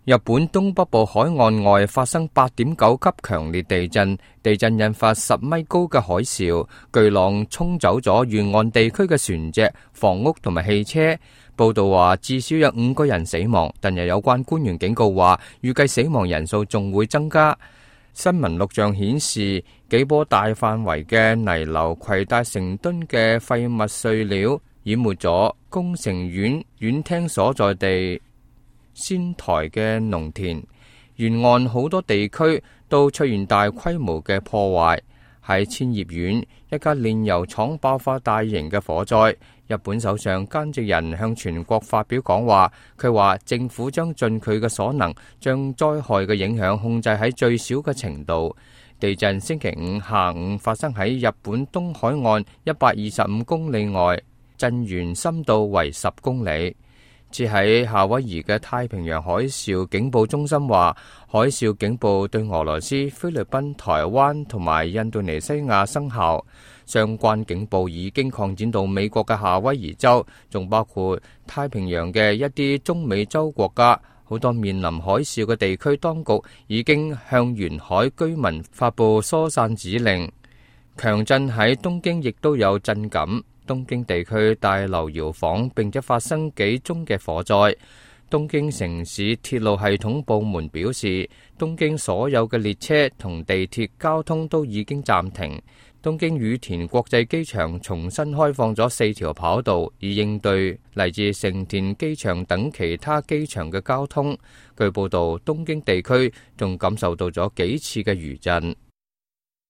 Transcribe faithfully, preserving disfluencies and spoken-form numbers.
日本東北部海岸外發生八點九級強烈地震，地震引發十米高嘅海嘯，巨浪沖走咗沿岸地區嘅船隻、房屋同埋汽車。報道話至少有五個人死亡，但又有關官員警告話，預計死亡人數仲會增加。新聞錄像顯示，幾波大範圍嘅泥流攜帶成噸嘅廢物碎料，淹沒咗宮城縣縣廳所在地仙台嘅農田，沿岸好多地區都出現大規模嘅破壞。喺千葉縣，一家煉油廠爆發大型嘅火災。日本首相菅直人向全國發表講話，佢話政府將盡佢嘅所能，將災害嘅影響控制喺最少嘅程度。地震星期五下午發生喺日本東海岸一百二十五公里外，震源深度為十公里。至喺夏威夷嘅太平洋海嘯警報中心話，海嘯警報對俄羅斯、菲律賓、台灣同埋印度尼西亞生效。相關警報已經擴展到美國嘅夏威夷州，仲包括太平洋嘅一啲中美洲國家。好多面臨海嘯嘅地區當局已經向沿海居民發佈疏散指令。強震喺東京亦都有震感。東京地區大樓搖晃，並且發生幾宗嘅火災。東京城市鐵路系統部門表示，東京所有嘅列車同地鐵交通都已經暫停。東京羽田國際機場重新開放咗四條跑道，以應對嚟自成田機場等其他機場嘅交通。據報道，東京地區仲感受到咗幾次嘅餘震。